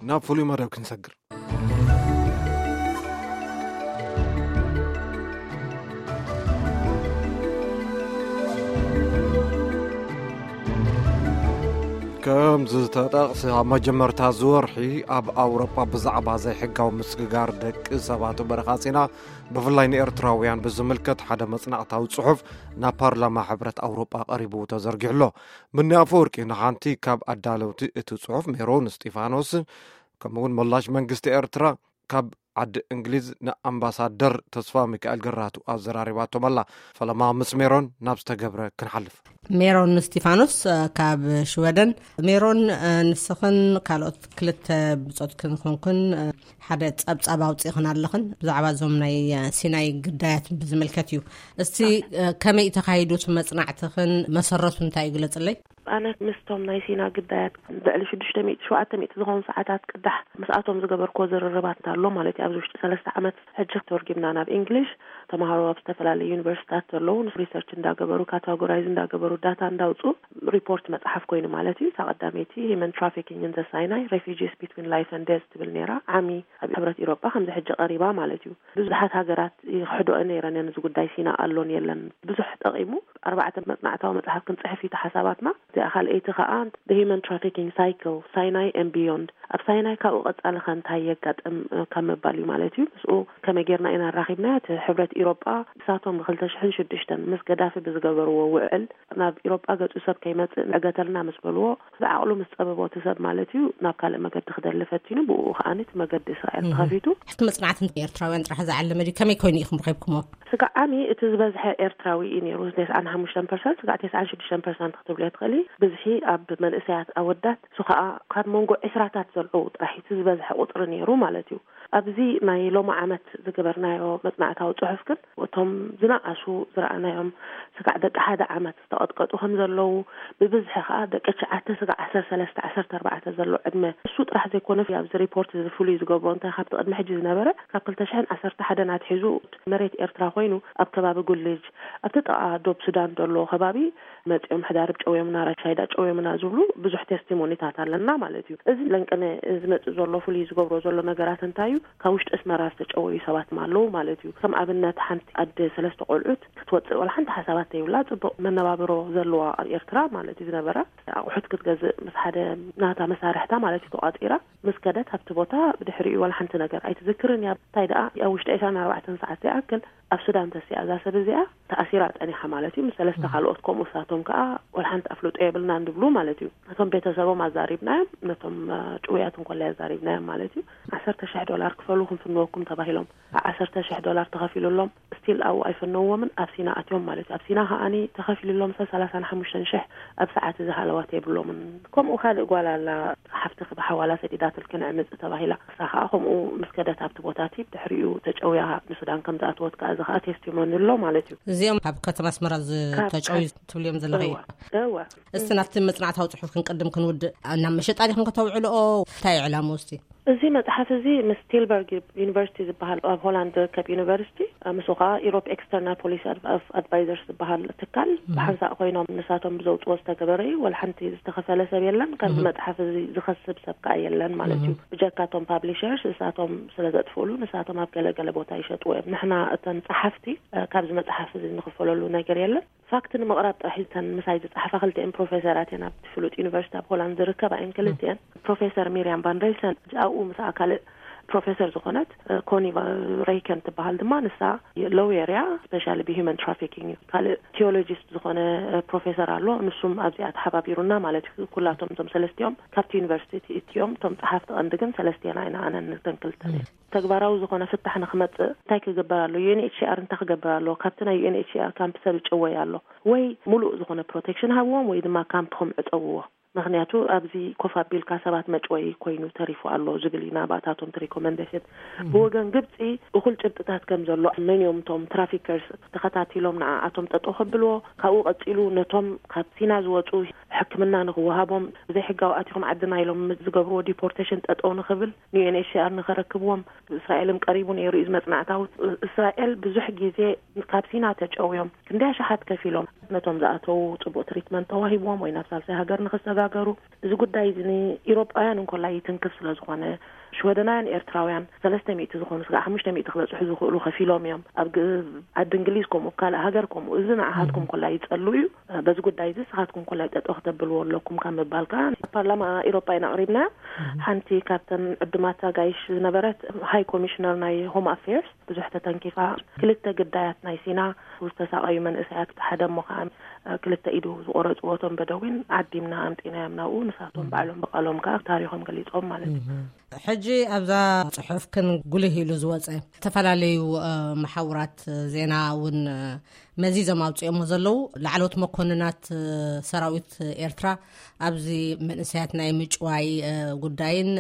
ናብ ፍሉይ መደብ ክንሰግር። ከም ዝተጠቕሰ፣ ኣብ መጀመርታ ዝወርሒ ኣብ ኣውሮጳ ብዛዕባ ዘይሕጋዊ ምስግጋር ደቂ ሰባት በረኻ ጺና፣ ብፍላይ ንኤርትራውያን ብዝምልከት ሓደ መጽናዕታዊ ጽሑፍ ናብ ፓርላማ ሕብረት ኣውሮጳ ቀሪቡ ተዘርጊሑ ኣሎ። ምኒ ኣፈወርቂ ንሓንቲ ካብ ኣዳለውቲ እቲ ጽሑፍ ሜሮን እስጢፋኖስ፣ ከምኡውን ምላሽ መንግስቲ ኤርትራ ካብ ዓዲ እንግሊዝ ንኣምባሳደር ተስፋ ሚካኤል ግራቱ ኣዘራሪባቶም ኣላ። ፈለማ ምስ ሜሮን ናብ ዝተገብረ ክንሓልፍ። ሜሮን እስጢፋኖስ፣ እ፣ ካብ ሽወደን። ሜሮን፣ እ፣ ንስኽን ካልኦት ክልተ ብጾትክን ኮንክን፣ እ፣ ሓደ ጸብጻብ ኣውጺእኽን ኣለኽን ብዛዕባ እዞም ናይ፣ እ፣ ሲናይ ግዳያት ብዝምልከት እዩ። እስቲ፣ እ፣ ከመይ ተኻይዱ እቲ መጽናዕትኽን መሰረቱ እንታይ እዩ ግለጽለይ? ኣነ ምስቶም ናይ ሲና ግዳያት ልዕሊ ሽዱሽተ ሚእቲ፣ ሸውዓተ ሚእቲ ዝኾኑ ሰዓታት ቅዳሕ ምስኣቶም ዝገበርክዎ ዝርርባት ኣሎ ማለት እዩ። ኣብዚ ውሽጢ ሰለስተ ዓመት ሕጂ ተወርጊምና ናብ እንግሊሽ። ተምሃሮ ኣብ ዝተፈላለዩ ዩኒቨርሲታት ዘለዉ ሪሰርች እንዳገበሩ፣ ካታጎራይዝ እንዳገበሩ፣ ዳታ እንዳውፁ ሪፖርት መፅሓፍ ኮይኑ ማለት እዩ። እታ ቀዳመይቲ ሂመን ትራፊኪንግ ኢን ዘ ሳይናይ፣ ሬፊጂስ ቢትዊን ላይፍ ኤንድ ዴዝ ትብል ነይራ። ዓሚ ኣብ ሕብረት ኢሮጳ ከምዚ ሕጂ ቀሪባ ማለት እዩ። ብዙሓት ሃገራት ይኽሕድኦ ነይረን እየን፣ እዚ ጉዳይ ሲና ኣሎን የለን ብዙሕ ጠቒሙ። ኣርባዕተ መጽናዕታዊ መጽሓፍ ክንጽሕፍ እዩ እቲ ሓሳባትና። እዚኣ ካልኣይቲ ከኣ The Human Trafficking Cycle, Sinai and Beyond። ኣብ ሳይናይ ካብኡ ቀጻሊ ከ እንታይ የጋጥም፣ እ፣ ካብ ምባል እዩ ማለት እዩ። ምስኡ ከመይ ጌርና ኢና ኣራኺብናዮ? እቲ ሕብረት ኢሮጳ ንሳቶም ብ ክልተ ሽሕን ሽዱሽተን ምስ ገዳፊ ብዝገበርዎ ውዕል ናብ ኢሮጳ ገጹ ሰብ ከይመጽእ ንዕገተልና ምስ በልዎ፣ ብዓቕሉ ምስ ጸበቦ እቲ ሰብ ማለት እዩ፣ ናብ ካልእ መገዲ ክደሊ ፈቲኑ፣ ብኡ ከኣ እቲ መገዲ እስራኤል እህ። ተኸፊቱ። ሕቲ መጽናዕቲ ኤርትራውያን ጥራሕ ዝዓለመ ድዩ? ከመይ ኮይኑ ኢኹም ረኺብኩሞ? ስጋዕ ዓሚ እቲ ዝበዝሐ ኤርትራዊ እዩ ነይሩ፣ ተስዓን ሓሙሽተን ፐርሰንት፣ ስጋዕ ተስዓን ሽዱሽተን ፐርሰንት ክትብልዮ ትኽእሊ። ብዝሒ ኣብ መንእሰያት ኣወዳት፣ እሱ ከኣ ካብ መንጎ ዕስራታት ዘለዉ ጥራሕ እቲ ዝበዝሐ ቁጽሪ ነይሩ ማለት እዩ። ኣብዚ ናይ ሎሚ ዓመት ዝገበርናዮ መጽናዕታዊ ጽሑፍ ግን፣ እቶም ዝነኣሱ ዝረኣናዮም ስጋዕ ደቂ ሓደ ዓመት ዝተቐጥቀጡ ከም ዘለዉ፣ ብብዝሒ ከኣ ደቂ ትሽዓተ ስጋዕ ዓሰርተ ሰለስተ ዓሰርተ ኣርባዕተ ዘሎ ዕድመ፣ እሱ ጥራሕ ዘይኮነ፣ ኣብዚ ሪፖርት እዚ ፍሉይ ዝገብሮ እንታይ፣ ካብቲ ቅድሚ ሕጂ ዝነበረ፣ ካብ ክልተ ሽሕን ዓሰርተ ሓደን ኣትሒዙ መሬት ኤርትራ ኮይኑ፣ ኣብ ከባቢ ጉልጅ፣ ኣብቲ ጥቓ ዶብ ሱዳን ዘሎ ከባቢ መጺኦም ሕዳርብ ጨውዮምና፣ ራሻይዳ ጨውዮምና ዝብሉ ብዙሕ ቴስቲሞኒታት ኣለና ማለት እዩ። እዚ ለንቅነ ዝመጽእ ዘሎ ፍሉይ ዝገብሮ ዘሎ ነገራት እንታይ እዩ? ካብ ውሽጢ ኣስመራ ዝተጨወዩ ሰባት ኣለዉ ማለት እዩ። ከም ኣብነት ሓንቲ ኣደ ሰለስተ ቆልዑት ክትወጽእ ዋላ ሓንቲ ሓሳባት ዘይብላ፣ ጽቡቕ መነባብሮ ዘለዋ ኣብ ኤርትራ ማለት እዩ ዝነበራ፣ ኣቑሑት ክትገዝእ ምስ ሓደ ናታ መሳርሕታ ማለት እዩ ተቋጺራ ምስ ከደት ኣብቲ ቦታ ብድሕሪኡ ዋላ ሓንቲ ነገር ኣይትዝክርን እያ። እንታይ ደኣ ኣብ ውሽጢ ዕስራን ኣርባዕተን ሰዓት ዘይኣክል ኣብ ሱዳን ተሲኣ እዛ ሰብ እዚኣ ተኣሲራ ጸኒሓ ማለት እዩ። ምስ ሰለስተ ካልኦት ከምኡ ሳቶም ከኣ ዋላ ሓንቲ ኣፍልጦ የብልናን ዝብሉ ማለት እዩ። ነቶም ቤተሰቦም ኣዛሪብናዮም፣ ነቶም፣ እ፣ ጭውያት እንኮላይ ኣዛሪብናዮም ማለት እዩ። ዓሰርተ ሽሕ ዶላር ክፈሉ ክንፍንወኩም ተባሂሎም። ዓሰርተ ሽሕ ዶላር ተኸፊሉሎም፣ ስቲል ኣብኡ ኣይፈነውዎምን፣ ኣብ ሲና ኣትዮም ማለት እዩ። ኣብ ሲና ከኣኒ ተኸፊሉሎም ሰብ ሰላሳን ሓሙሽተን ሽሕ ኣብ ሰዓት እዚ ሃለዋት የብሎምን። ከምኡ ካልእ ጓል ኣላ፣ ሓፍትኺ ብሓዋላ ሰዲዳትልኪ ንዕምጽ ተባሂላ። ንሳ ከኣ ከምኡ ምስ ከደት ኣብቲ ቦታ እቲ ድሕሪኡ ተጨውያ ንሱዳን ከም ዝኣተወት ከኣ እዚ ከኣ ቴስቲሞኒ ኣሎ ማለት እዩ። እዚኦም ኣብ ከተማ ኣስመራ ካብ ዝተጨውዩ ትብልዮም ዘለኺ? እወ፣ እወ። እስቲ ናብቲ መጽናዕታዊ ጽሑፍ ክንቅድም ክንውድእ፣ ናብ መሸጣ ዲኹም ከተውዕልኦ? እንታይ እዩ ዕላምኡ እስቲ? እዚ መጽሓፍ እዚ ምስ ቲልበርግ ዩኒቨርሲቲ ዝበሃል ኣብ ሆላንድ ዝርከብ ዩኒቨርሲቲ፣ ምስኡ ከኣ ኢሮፕ ኤክስተርናል ፖሊሲ ኣድ-፣ ኣድቫይዘርስ ዝበሃል ትካል እህ። ብሓንሳእ ኮይኖም ንሳቶም ብዘውጽዎ ዝተገበረ እዩ። ወላ ሓንቲ ዝተኸፈለ ሰብ የለን። ካብዚ እህ። መጽሓፍ እዚ ዝኸስብ ሰብ ከኣ የለን ማለት እዩ። እህ። ብጀካ እቶም ፓብሊሸርስ፣ ንሳቶም ስለ ዘጥፍእሉ፣ ንሳቶም ኣብ ገለ ገለ ቦታ ይሸጥዎ እዮም። ንሕና እተን ጸሓፍቲ፣ እ፣ ካብዚ መጽሓፍ እዚ ንኽፈለሉ ነገር የለን። ፋክት ንምቕራብ ጥራሕ እተን ምሳይ ዝጸሓፋ ክልቲኤን ፕሮፌሰራት እየን። ኣብቲ ፍሉጥ ዩኒቨርሲቲ ኣብ ሆላንድ ዝርከባ እየን ክልቲኤን። ፕሮፌሰር ሚርያም ቫን ሬይሰን፣ ኣብኡ ምስኣ ካልእ ፕሮፌሰር ዝኾነት፣ እ፣ ኮኒ ቫ-፣ ሬይከን ትበሃል ድማ፣ ንሳ ሎየር እያ፣ ስፔሻሊ ብሂውማን ትራፊኪንግ እዩ። ካልእ ቲዮሎጂስት ዝኾነ፣ እ፣ ፕሮፌሰር ኣሎ፣ ንሱም ኣብዚኣ ተሓባቢሩና ማለት እዩ። ኩላቶም እቶም ሰለስቲኦም ካብቲ ዩኒቨርሲቲ እትዮም፣ እቶም ጸሓፍቲ ቀንዲ ግን ሰለስቲና ኢና፣ ኣነን እተን ክልተን እየን። ተግባራዊ ዝኾነ ፍታሕ ንኽመጽእ እንታይ ክግበር ኣሎ? ዩ ኤን ኤች ሲ ኣር እንታይ ክገብር ኣሎ? ካብቲ ናይ ዩ ኤን ኤች ሲ ኣር ካምፕ ሰብ ይጨወይ ኣሎ። ወይ ሙሉእ ዝኾነ ፕሮቴክሽን ሃብዎም ወይ ድማ ካምፕ ክም ዕጸውዎ። ምኽንያቱ ኣብዚ ኮፍ ኣቢልካ ሰባት መጭወይ ኮይኑ ተሪፉ ኣሎ ዝብል ኢና ብኣታቶም እቲ ሪኮመንዴሽን። እም። ብወገን ግብጺ እኹል ጭብጥታት ከም ዘሎ፣ መን እዮም እቶም ትራፊከርስ ተኸታቲሎም ንዓኣቶም ጠጠው ከብልዎ፣ ካብኡ ቀጺሉ ነቶም ካብ ሲና ዝወጹ ሕክምና ንኽወሃቦም፣ ብዘይሕጋዊ ኣቲኹም ዓድና ኢሎም ዝገብርዎ ዲፖርቴሽን ጠጠው ንኽብል፣ ን ዩ ኤን ኤች ሲ ኣር ንኸረክብዎም፣ እስራኤልም ቀሪቡ ነይሩ እዩ እዚ መጽናዕታዊ። እስራኤል ብዙሕ ግዜ ካብ ሲና ተጨውዮም፣ ክንደይ ኣሽሓት ከፊሎም፣ ነቶም ዝኣተዉ ጽቡቕ ትሪትመንት ተዋሂብዎም ወይ ናብ ሳልሳይ ሃገር ንኽሰጋ ሃገሩ። እዚ ጉዳይ እዚ ንኢሮጳውያን እንኮላይ ይትንክፍ ስለ ዝኾነ፣ ሽወደናውያን ኤርትራውያን ሰለስተ ሚእቲ ዝኾኑ ስጋዕ ሓሙሽተ ሚእቲ ክበጽሑ ዝኽእሉ ከፊሎም እዮም። ኣብ ግ- ዓዲ እንግሊዝ ከምኡ፣ ካልእ ሃገር ከምኡ። እዚ ንዓኻትኩም ኮላይ ይጸሉ እዩ። በዚ ጉዳይ እዚ ንስኻትኩም ኮላይ ጠጠው ክተብልዎ ኣለኩም ካብ ምባል ከኣ፣ ፓርላማ ኢሮጳ ኢና ኣቕሪብና። ሓንቲ ካብተን ዕዱማት ኣጋይሽ ዝነበረት ሃይ ኮሚሽነር ናይ ሆም ኣፌርስ ብዙሕ ተተንኪፋ። ክልተ ግዳያት ናይ ሲና ዝተሳቐዩ መንእሰያት፣ ሓደ እሞ ከኣ ክልተ ኢዱ ዝቆረጽዎ እቶም በደዊን ዓዲምና ኣምጺናዮም ናብኡ። ንሳቶም ባዕሎም ብቃሎም ከኣ ታሪኾም ገሊጾም ማለት እዩ። ሕጂ ኣብዛ ጽሑፍክን ጉልህ ኢሉ ዝወጸ፣ ዝተፈላለዩ መሓውራት ዜና እውን መዚዞም ኣውፅኦሞ ዘለዉ፣ ላዕለዎት መኮንናት ሰራዊት ኤርትራ ኣብዚ መንእሰያት ናይ ምጭዋይ ጉዳይን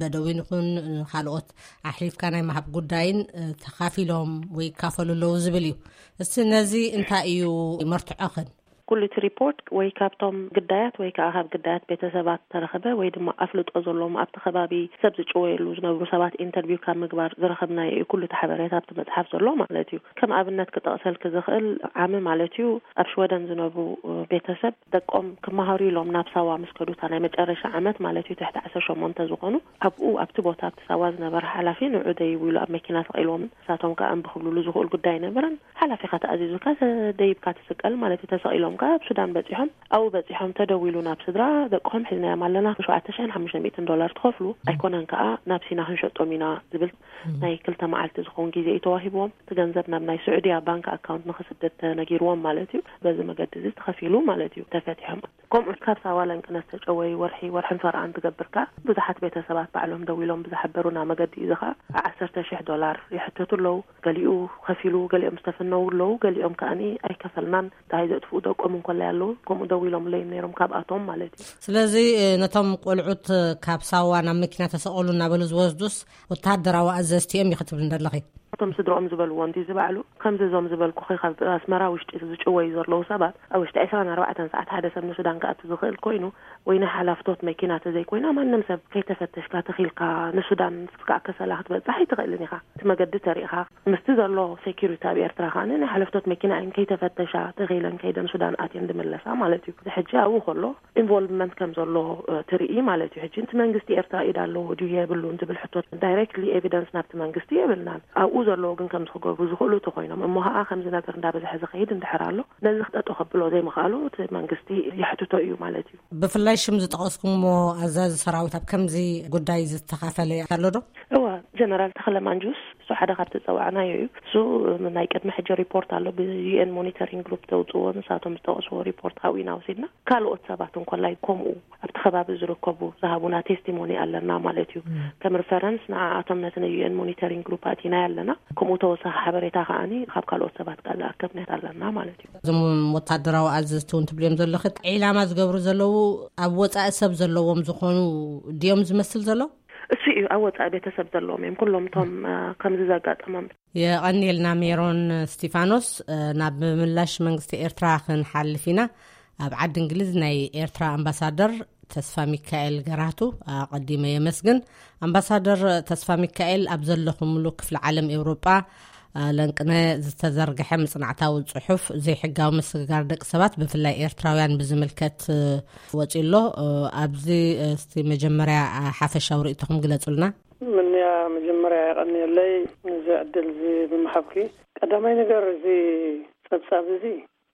በደዊን ይኹን ካልኦት ኣሕሊፍካ ናይ ምሃብ ጉዳይን ተኻፊሎም ወይ ይካፈሉ ኣለዉ ዝብል እዩ። እስቲ ነዚ እንታይ እዩ መርትዖኽን? ኩሉ እቲ ሪፖርት ወይ ካብቶም ግዳያት ወይ ከዓ ካብ ግዳያት ቤተሰባት ተረኸበ ወይ ድማ ኣፍልጦ ዘለዎም ኣብቲ ከባቢ ሰብ ዝጭወየሉ ዝነብሩ ሰባት ኢንተርቪው ካብ ምግባር ዝረኸብናዮ እዩ። ኩሉ እቲ ሓበሬታ ኣብቲ መፅሓፍ ዘሎ ማለት እዩ። ከም ኣብነት ክጠቕሰልክ ዝኽእል ዓሚ ማለት እዩ ኣብ ሽወደን ዝነብሩ ቤተሰብ ደቆም ክመሃሩ ኢሎም ናብ ሳዋ ምስ ከዱታ ናይ መጨረሻ ዓመት ማለት እዩ ትሕቲ ዓሰርተ ሸሞንተ ዝኾኑ ኣብኡ ኣብቲ ቦታ ኣብቲ ሳዋ ዝነበረ ሓላፊ ንዑ ደይቡ ኢሉ ኣብ መኪና ሰቒልዎም ንሳቶም ከዓ እምቢ ክብልሉ ዝኽእሉ ጉዳይ ኣይነበረን። ሓላፊኻ ተኣዚዙካ ደይብካ ትስቀል ማለት እዩ። ተሰቒሎም ከዓ ኣብ ሱዳን በፂሖም ኣብኡ በፂሖም ተደዊሉ ናብ ስድራ ደቅኹም ሒዝናዮም ኣለና ሸውዓተ ሽሕን ሓሙሽተ ሚእትን ዶላር ትኸፍሉ ኣይኮነን ከዓ ናብ ሲና ክንሸጦም ኢና ዝብል ናይ ክልተ መዓልቲ ዝኸውን ግዜ እዩ ተዋሂብዎም። እቲ ገንዘብ ናብ ናይ ስዑድያ ባንክ ኣካውንት ንክስደድ ተነጊርዎም ማለት እዩ። በዚ መገዲ እዚ ተኸፊሉ ማለት እዩ ተፈቲሖም። ከምኡ ካብ ሳዋ ለንቅነ ዝተጨወዩ ወርሒ ወርሕን ፈረቓን ትገብር ከኣ ብዙሓት ቤተሰባት ባዕሎም ደዊሎም ብዝሓበሩና መገዲ እዚ ከኣ ዓሰርተ ሽሕ ዶላር ይሕተቱ ኣለዉ። ገሊኡ ከፊሉ ገሊኦም ዝተፈነዉ ኣለዉ። ገሊኦም ከኣ ኣይከፈልናን ደሃይ ዘጥፍኡ ደቆም እንኮላይ ኣለዉ። ከምኡ ደዊሎምለይ ነይሮም ካብኣቶም ማለት እዩ። ስለዚ ነቶም ቆልዑት ካብ ሳዋ ናብ መኪና ተሰቐሉ እናበሉ ዝወስዱስ ወተሃደራዊ ኣዘዝቲ እዮም እዩ ክትብል እንደለኺ? እቶም ስድሮኦም ዝበልዎ እንዲ ዝባዕሉ ከምዚ እዞም ዝበልኩ ካብ ኣስመራ ውሽጢ ዝጭወዩ ዘለዉ ሰባት ኣብ ውሽጢ ዕስራን ኣርባዕተን ሰዓት ሓደ ሰብ ንሱዳን ክኣቱ ዝኽእል ኮይኑ ወይ ናይ ሓላፍቶት መኪና ተዘይኮይና ማንም ሰብ ከይተፈተሽካ ተኺልካ ንሱዳን ስጋዕ ከሰላ ክትበጽሕ ኣይትኽእልን ኢኻ። እቲ መገዲ ተሪእኻ ምስቲ ዘሎ ሴኪሪቲ ኣብ ኤርትራ ከኣ ናይ ሓለፍቶት መኪና እየን ከይተፈተሻ ተኺለን ከይደን ሱዳን ኣትየን ዝምለሳ ማለት እዩ። እዚ ሕጂ ኣብኡ ከሎ ኢንቮልቭመንት ከም ዘሎ ትርኢ ማለት እዩ። ሕጂ እቲ መንግስቲ ኤርትራ ኢድ ኣለዎ ድዩ የብሉን ዝብል ሕቶ ዳይሬክትሊ ኤቪደንስ ናብቲ መንግስቲ የብልናን። ኣብኡ ዘለዉ ግን ከም ዝክገብሩ ዝኽእሉ ተኮይኖም እሞ ከዓ ከምዚ ነገር እንዳበዝሐ ዝኸይድ እንድሕር ኣሎ ነዚ ክጠጦ ከብሎ ዘይምኽኣሉ እቲ መንግስቲ የሕትቶ እዩ ማለት እዩ። ብፍላይ ሽም ዝጠቐስኩሞ ኣዛዚ ሰራዊት ኣብ ከምዚ ጉዳይ ዝተኻፈለ ኣሎ ዶ? እዋ፣ ጀነራል ተኽለ ማንጁስ እሱ ሓደ ካብ ተፀዋዕናዮ እዩ። እሱ ናይ ቅድሚ ሕጂ ሪፖርት ኣሎ ብዩኤን ሞኒተሪንግ ግሩፕ ተውፅዎ ንሳቶም ዝጠቐስዎ ሪፖርት ኣብኡ ኢና ወሲድና። ካልኦት ሰባት እንኮላይ ከምኡ ኣብቲ ከባቢ ዝርከቡ ዝሃቡና ቴስቲሞኒ ኣለና ማለት እዩ። ከም ሪፈረንስ ንዓኣቶም ነቲ ናይ ዩኤን ሞኒተሪንግ ግሩፕ ኣቲናዮ ኣለና። ከምኡ ተወሳኺ ሓበሬታ ከዓኒ ካብ ካልኦት ሰባት ከኣ ዝኣከብናት ኣለና ማለት እዩ። እዞም ወታደራዊ ኣዘዝቲ እውን ትብልዮም ዘለኺ ዒላማ ዝገብሩ ዘለዉ ኣብ ወፃኢ ሰብ ዘለዎም ዝኾኑ ድዮም ዝመስል ዘሎ? እሱ እዩ ኣብ ወፃኢ ቤተሰብ ዘለዎም እዮም ኩሎም እቶም ከምዚ ዘጋጠሞም። የቐንየልና ሜሮን እስቲፋኖስ። ናብ ምላሽ መንግስቲ ኤርትራ ክንሓልፍ ኢና። ኣብ ዓዲ እንግሊዝ ናይ ኤርትራ ኣምባሳደር ተስፋ ሚካኤል ገራቱ ኣቐዲመ የመስግን። ኣምባሳደር ተስፋ ሚካኤል ኣብ ዘለኹምሉ ክፍለ ዓለም ኤውሮጳ ለንቅነ ዝተዘርግሐ መጽናዕታዊ ጽሑፍ ዘይሕጋዊ ምስግጋር ደቂ ሰባት ብፍላይ ኤርትራውያን ብዝምልከት ወጺኡ ኣሎ። ኣብዚ እስቲ መጀመርያ ሓፈሻዊ ርእይቶኹም ግለጹልና። ምንያ መጀመርያ የቐንየለይ ነዚ ዕድል እዚ ብምሃብኪ። ቀዳማይ ነገር እዚ ጸብጻብ እዚ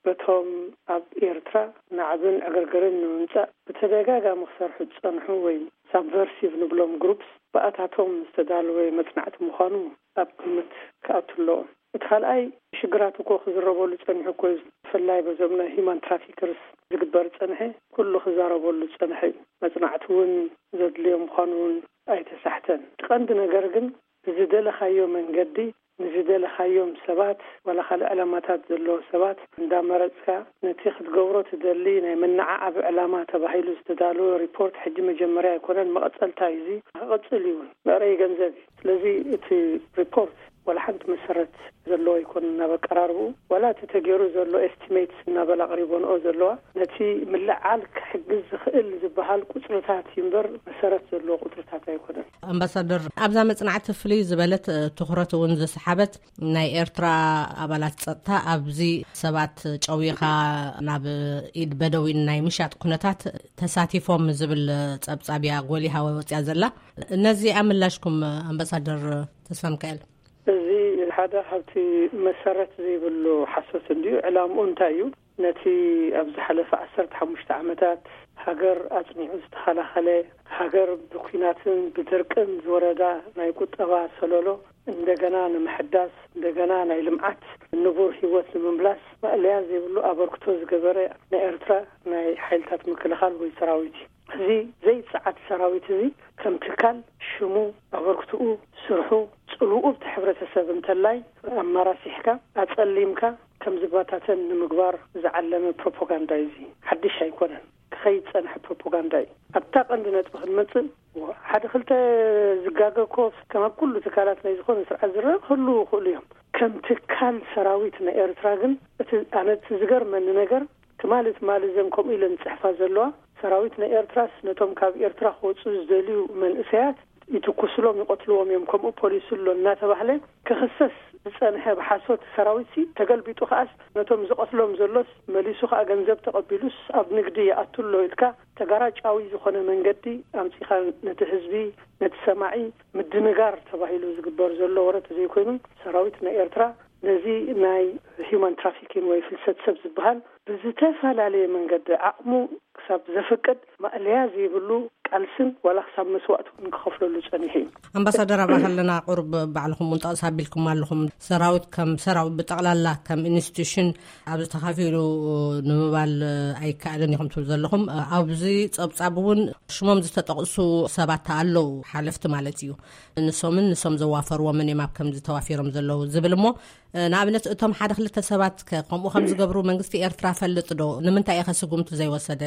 በቶም ኣብ ኤርትራ ናዕብን ዕግርግርን ንምምጻእ ብተደጋጋሚ ክሰርሑ ዝጸንሑ ወይ ሳብቨርሲቭ ንብሎም ግሩፕስ ብኣታቶም ዝተዳለወ መጽናዕቲ ምዃኑ ኣብ ግምት ክኣቱ ኣለዎም። እቲ ካልኣይ ሽግራት እኮ ክዝረበሉ ጸኒሑ እኮ እዩ። ብፍላይ በዞም ናይ ሂማን ትራፊከርስ ዝግበር ጸንሐ ኩሉ ክዛረበሉ ዝጸንሐ እዩ። መጽናዕቲ እውን ዘድልዮ ምዃኑ እውን ኣይተሳሕተን። እቲ ቀንዲ ነገር ግን ብዝደለኻዮ መንገዲ ንዝደለኻዮም ሰባት ዋላ ካልእ ዕላማታት ዘለዎ ሰባት እንዳመረጽካ ነቲ ክትገብሮ ትደሊ ናይ መነዓዓቢ ዕላማ ተባሂሉ ዝተዳለወ ሪፖርት ሕጂ መጀመርያ ኣይኮነን፣ መቐጸልታ እዩ። እዚ ክቕጽል እዩ እውን መዕረዪ ገንዘብ እዩ። ስለዚ እቲ ሪፖርት ዋላ ሓንቲ መሰረት ዘለዎ ኣይኮነን ናብ ኣቀራርብኡ። ዋላ እቲ ተገይሩ ዘሎ ኤስቲሜትስ እናበላ ኣቕሪቦንኦ ዘለዋ ነቲ ምልዓል ክሕግዝ ዝኽእል ዝበሃል ቁጽርታት እዩ እምበር መሰረት ዘለዎ ቁጽርታት ኣይኮነን። ኣምባሳደር፣ ኣብዛ መጽናዕቲ ፍልይ ዝበለት ትኹረት እውን ዝሰሓበት ናይ ኤርትራ ኣባላት ጸጥታ ኣብዚ ሰባት ጨዊኻ ናብ ኢድ በደዊን ናይ ምሻጥ ኩነታት ተሳቲፎም ዝብል ጸብጻብ እያ ጎሊሃ ወጽያ ዘላ። ነዚ ኣምላሽኩም ኣምባሳደር ተስፋ ሚካኤል? እዚ ሓደ ካብቲ መሰረት ዘይብሉ ሓሶት እንድዩ። ዕላምኡ እንታይ እዩ? ነቲ ኣብ ዝሓለፈ ዓሰርተ ሓሙሽተ ዓመታት ሃገር ኣጽኒዑ ዝተኸላኸለ፣ ሃገር ብኲናትን ብድርቅን ዝወረዳ ናይ ቁጠባ ሰለሎ እንደገና ንምሕዳስ፣ እንደገና ናይ ልምዓት ንቡር ህይወት ንምምላስ ማእለያ ዘይብሉ ኣበርክቶ ዝገበረ ናይ ኤርትራ ናይ ሓይልታት ምክልኻል ወይ ሰራዊት እዩ። እዚ ዘይጸዓት ሰራዊት እዚ ከም ትካል ሽሙ፣ ኣበርክትኡ፣ ስርሑ፣ ጽልውኡ ብቲ ሕብረተሰብ እንተላይ ኣማራሲሕካ፣ ኣጸሊምካ ከም ዝባታተን ንምግባር ዝዓለመ ፕሮፓጋንዳ እዩ። እዚ ሓድሽ ኣይኮነን። ክኸይድ ዝጸንሐ ፕሮፓጋንዳ እዩ። ኣብታ ቀንዲ ነጥቢ ክንመጽእ፣ ሓደ ክልተ ዝጋገ እኮ ከም ኣብ ኩሉ ትካላት ናይ ዝኾነ ስርዓት ዝረአ ክህልዉ ይኽእሉ እዮም። ከም ትካል ሰራዊት ናይ ኤርትራ ግን እቲ ኣነ እቲ ዝገርመኒ ነገር ትማሊ ትማሊ እዘን ከምኡ ኢለን ዝጽሕፋ ዘለዋ ሰራዊት ናይ ኤርትራስ ነቶም ካብ ኤርትራ ክወጹ ዝደልዩ መንእሰያት ይትኩስሎም ይቐትልዎም እዮም፣ ከምኡ ፖሊሲ ኣሎ እናተባህለ ክኽሰስ ዝጸንሐ ብሓሶት ሰራዊትሲ ተገልቢጡ ከኣስ ነቶም ዝቐትሎም ዘሎስ መሊሱ ከኣ ገንዘብ ተቐቢሉስ ኣብ ንግዲ ይኣቱ ኣሎ ኢልካ ተጋራጫዊ ዝኾነ መንገዲ ኣምጺኻ ነቲ ህዝቢ ነቲ ሰማዒ ምድንጋር ተባሂሉ ዝግበር ዘሎ ወረ ተዘይኮይኑ ሰራዊት ናይ ኤርትራ ነዚ ናይ ሂዩማን ትራፊኪን ወይ ፍልሰት ሰብ ዝበሃል ብዝተፈላለየ መንገዲ ዓቕሙ ክሳብ ዘፍቅድ ማእለያ ዘይብሉ ቃልስን ዋላ ክሳብ መስዋእቲ እውን ክኸፍለሉ ጸኒሑ እዩ። ኣምባሳደር ኣብኣ ከለና ቁሩብ ባዕልኹም እውን ጠቕስ ኣቢልኩም ኣለኹም። ሰራዊት ከም ሰራዊት ብጠቕላላ ከም ኢንስቲቱሽን ኣብዚ ተኻፊሉ ንምባል ኣይከኣልን ኢኹም ትብሉ ዘለኹም። ኣብዚ ጸብጻብ እውን ሽሞም ዝተጠቕሱ ሰባት ኣለዉ፣ ሓለፍቲ ማለት እዩ። ንሶምን ንሶም ዘዋፈርዎምን እዮም ኣብ ከምዚ ተዋፊሮም ዘለዉ ዝብል እሞ ንኣብነት እቶም ሓደ ክልተ ሰባት ከ ከምኡ ከም ዝገብሩ መንግስቲ ኤርትራ ፈልጥ ዶ? ንምንታይ ኢኸ ስጉምቲ ዘይወሰደ?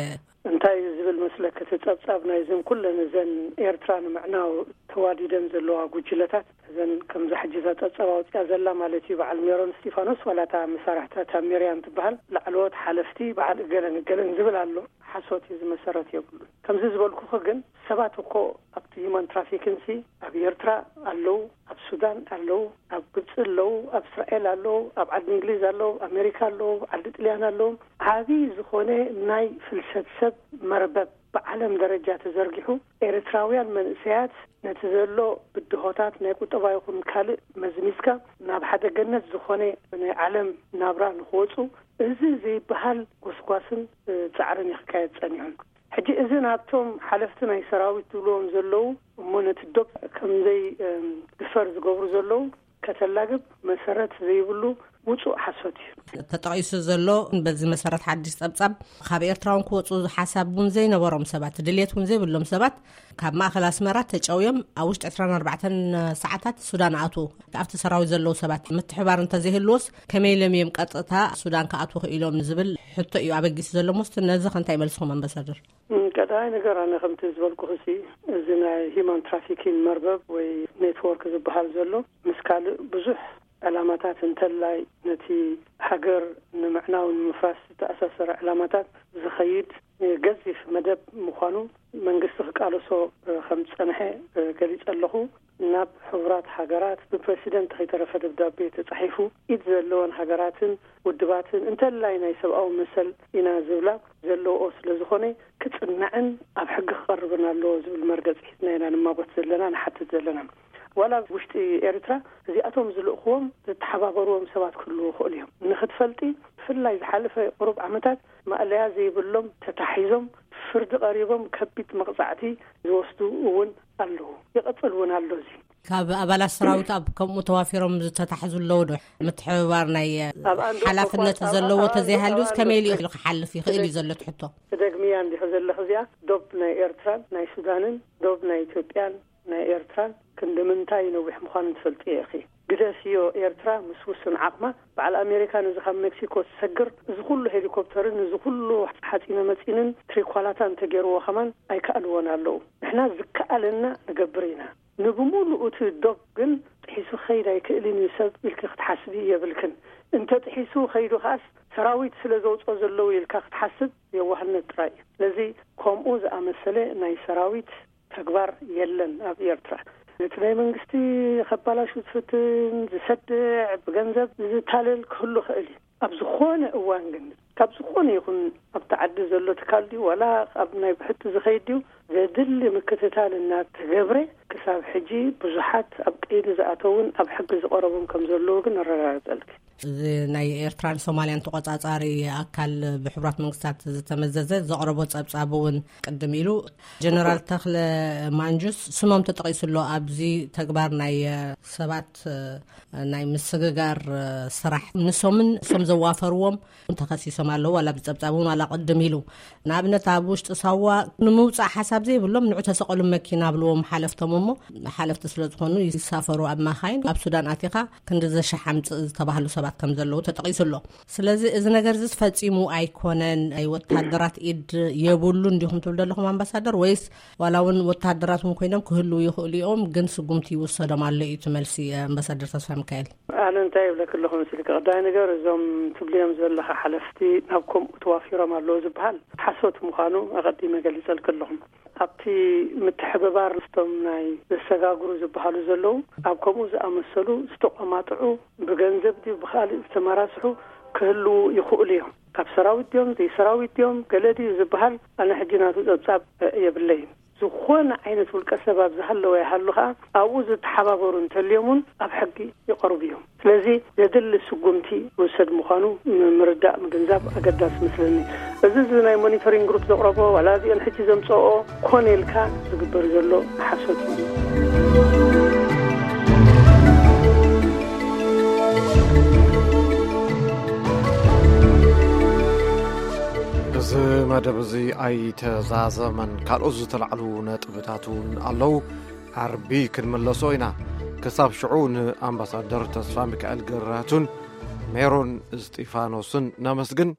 እንታይ እዩ ዝብል መስለክ እቲ ጸብጻብ ናይዘን ኩለን እዘን ኤርትራ ንምዕናው ተዋዲደን ዘለዋ ጉጅለታት እዘን ከምዛ ሕጂ እዛ ጸብጻብ ኣውጽያ ዘላ ማለት እዩ በዓል ሜሮን እስጢፋኖስ ዋላ እታ መሳርሕታ እታ ሜርያን ትበሃል ላዕለዎት ሓለፍቲ በዓል እገለን እገለን ዝብል ኣሎ። ሓሶት እዩ፣ ዝመሰረት የብሉን። ከምዚ ዝበልኩኺ ግን ሰባት እኮ ኣብቲ ሂማን ትራፊኪንሲ ኣብ ኤርትራ ኣለዉ፣ ኣብ ሱዳን ኣለዉ፣ ኣብ ግብፂ ኣለዉ፣ ኣብ እስራኤል ኣለዉ፣ ኣብ ዓዲ እንግሊዝ ኣለዉ፣ ኣብ ኣሜሪካ ኣለዉ፣ ዓዲ ጥልያን ኣለዉ። ዓብዪ ዝኾነ ናይ ፍልሰት ሰብ መርበብ ብዓለም ደረጃ ተዘርጊሑ ኤርትራውያን መንእሰያት ነቲ ዘሎ ብድሆታት ናይ ቁጠባ ይኹን ካልእ መዝሚዝካ ናብ ሓደ ገነት ዝኾነ ናይ ዓለም ናብራ ንክወፁ እዚ ዘይበሃል ጎስጓስን እ፣ ፃዕርን ይክካየድ ፀኒሑን። ሕጂ እዚ ናብቶም ሓለፍቲ ናይ ሰራዊት ዝብልዎም ዘለዉ እሞ ነቲ ዶብ ከምዘይ እም፣ ድፈር ዝገብሩ ዘለዉ ከተላግብ መሰረት ዘይብሉ ውፁእ ሓሶት እዩ። ተጠቒሱ ዘሎ በዚ መሰረት ሓድሽ ጸብጻብ ካብ ኤርትራውን ክወፁ ሓሳብ እውን ዘይነበሮም ሰባት ድልየት እውን ዘይብሎም ሰባት ካብ ማእኸል ኣስመራ ተጨውዮም ኣብ ውሽጢ ዕስራን ኣርባዕተን ሰዓታት ሱዳን ኣትዉ። ኣብቲ ሰራዊት ዘለዉ ሰባት ምትሕባር እንተዘይህልዎስ ከመይ ኢሎም እዮም ቀጥታ ሱዳን ክኣትዉ ክኢሎም ዝብል ሕቶ እዩ ኣበጊሱ ዘሎ። ሞስት ነዚ ከ እንታይ መልስኹም ኣምባሳደር? እም፣ ቀዳማይ ነገር ኣነ ከምቲ ዝበልኩ ክሲ እዚ ናይ ሂማን ትራፊኪን መርበብ ወይ ኔትወርክ ዝበሃል ዘሎ ምስ ካልእ ብዙሕ ዕላማታት እንተላይ ነቲ ሃገር ንምዕናው ንምፍራስ ዝተኣሳሰረ ዕላማታት ዝኸይድ ገዚፍ መደብ ምዃኑ መንግስቲ ክቃለሶ ከም ዝጸንሐ ገሊጸ ኣለኹ። ናብ ሕቡራት ሃገራት ብፕረሲደንት ከይተረፈ ደብዳቤ ተጻሒፉ ኢድ ዘለወን ሃገራትን ውድባትን እንተላይ ናይ ሰብኣዊ መሰል ኢና ዝብላ ዘለውኦ ስለ ዝኾነ ክጽናዕን ኣብ ሕጊ ክቐርብን ኣለዎ ዝብል መርገጺ ሒዝና ኢና ንማጎት ዘለና ንሓትት ዘለና። ዋላ ኣብ ውሽጢ ኤርትራ እዚኣቶም ዝልእኽዎም ዝተሓባበርዎም ሰባት ክህልዉ ይኽእሉ እዮም። ንኽትፈልጢ ብፍላይ ዝሓለፈ ቁሩብ ዓመታት ማእለያ ዘይብሎም ተታሒዞም ፍርዲ ቀሪቦም ከቢድ መቕጻዕቲ ዝወስዱ እውን ኣለዉ። ይቐጽል እውን ኣሎ እዚ። ካብ ኣባላት ሰራዊት ኣብ ከምኡ ተዋፊሮም ዝተታሕዙ ኣለዉ ዶ? ምትሕብባር ናይ ኣብ ኣንዶ ሓላፍነት ኮኳ፣ ዘለዎ ኣብ ተዘይሃልዩስ ኣንዶ ከመይ ኢሉ ክሓልፍ ይኽእል እዩ ዘሎ እቲ ሕቶ? ትደግምያ እንዲኺ ዘለኺ እዚኣ ዶብ ናይ ኤርትራን ናይ ሱዳንን ዶብ ናይ ኢትዮጵያን ናይ ኤርትራን ክንዲ ምንታይ ነዊሕ ምዃኑ ትፈልጥዮ ኢኺ። ግደፍዮ ኤርትራ ምስ ውሱን ዓቕማ በዓል ኣሜሪካ ነዚ ካብ ሜክሲኮ ዝሰግር እዚ ኩሉ ሄሊኮፕተርን እዚ ኩሉ ሓፂነ መፂንን ትሪኳላታን ተገይርዎ ከማን ኣይከኣልዎን ኣለዉ። ንሕና ዝከኣለና ንገብር ኢና። ንብሙሉኡ እቲ ዶብ ግን ጥሒሱ ክኸይድ ኣይክእልን እዩ ሰብ ኢልኪ ክትሓስቢ የብልክን። እንተ ጥሒሱ ከይዱ ከኣስ ሰራዊት ስለ ዘውፅኦ ዘለዉ ኢልካ ክትሓስብ የዋህነት ጥራይ እዩ። ስለዚ ከምኡ ዝኣመሰለ ናይ ሰራዊት ተግባር የለን ኣብ ኤርትራ። ነቲ ናይ መንግስቲ ከባላሹ ዝፍትን ዝሰድዕ ብገንዘብ ዝታለል ክህሉ ክእል እዩ። ኣብ ዝኾነ እዋን ግን ካብ ዝኾነ ይኹን ኣብቲ ዓዲ ዘሎ ትካል ድዩ ዋላ ኣብ ናይ ብሕቲ ዝኸይድ ድዩ ዘድሊ ምክትታል እናተገብረ ክሳብ ሕጂ ብዙሓት ኣብ ቀይዲ ዝኣተውን ኣብ ሕጊ ዝቐረቡን ከም ዘለዉ ግን ኣረጋግጸልኪ። እዚ ናይ ኤርትራን ሶማልያን ተቆጻጻሪ ኣካል ብሕቡራት መንግስታት ዝተመዘዘ ዘቕረቦ ጸብጻብ እውን ቅድም ኢሉ ጀነራል ተኽለ ማንጁስ ስሞም ተጠቒሱ ኣሎ። ኣብዚ ተግባር ናይ ሰባት ናይ ምስግጋር ስራሕ ንሶምን እሶም ዘዋፈርዎም ተኸሲሶም ኣለዉ። ዋላ ብጸብጻብ እውን ዋላ ቅድም ኢሉ ንኣብነት ኣብ ውሽጢ ሳዋ ንምውጻእ ሓሳብ ዘይብሎም ንዑ ተሰቐሉ መኪና ብልዎም ሓለፍቶም እሞ ሓለፍቲ ስለ ዝኾኑ ይሳፈሩ ኣብ ማኻይን ኣብ ሱዳን ኣቲኻ ክንዲ ዘሻሓምጽእ ዝተባህሉ ሰባት ከም ዘለዉ ተጠቒሱ ኣሎ። ስለዚ እዚ ነገር እዚ ፈጺሙ ኣይኮነን። ናይ ወታደራት ኢድ የብሉ እንዲኹም ትብል ዘለኹም ኣምባሳደር ወይስ ዋላ እውን ወታደራት እውን ኮይኖም ክህልዉ ይኽእሉ እዮም ግን ስጉምቲ ይውሰዶም ኣሎ እዩ እቲ መልሲ ኣምባሳደር ተስፋ ሚካኤል። ኣነ እንታይ ይብለክ ኣለኹ መስልክ ቀዳይ ነገር እዞም ትብልዮም ዘለኻ ሓለፍቲ ናብ ከምኡ ተዋፊሮም ኣለዉ ዝበሃል ሓሶት ምዃኑ ኣቐዲመ ገሊጸልክ ኣለኹም። ኣብቲ ምትሕብባር ምስቶም ናይ ዘሰጋግሩ ዝበሃሉ ዘለዉ ኣብ ከምኡ ዝኣመሰሉ ዝተቆማጥዑ ብገንዘብ ድዩ ብኻልእ ዝተመራስሑ ክህልዉ ይኽእሉ እዮም። ካብ ሰራዊት ድዮም ዘይሰራዊት ድዮም ገለ ድዩ ዝበሃል ኣነ ሕጂ ናቱ ጸብጻብ የብለይን። ዝኾነ ዓይነት ውልቀ ሰብ ኣብ ዝሃለወ ይሃሉ ኸዓ ኣብኡ ዝተሓባበሩ እንተልዮም እውን ኣብ ሕጊ ይቐርቡ እዮም። ስለዚ ዘድሊ ስጉምቲ ይውሰድ ምዃኑ ምርዳእ ምግንዛብ ኣገዳሲ መስለኒ። እዚ እዚ ናይ ሞኒተሪንግ ግሩፕ ዘቕረቦ ዋላ እዚኦን ሕጂ ዘምፀኦ ኮነ ኢልካ ዝግበር ዘሎ ሓሶት እዩ። እዚ መደብ እዚ ኣይተዛዘመን። ካልኦት ዝተላዕሉ ነጥብታት እውን ኣለዉ። ዓርቢ ክንምለሶ ኢና። ክሳብ ሽዑ ንኣምባሳደር ተስፋ ሚካኤል ገራቱን ሜሮን እስጢፋኖስን ነመስግን።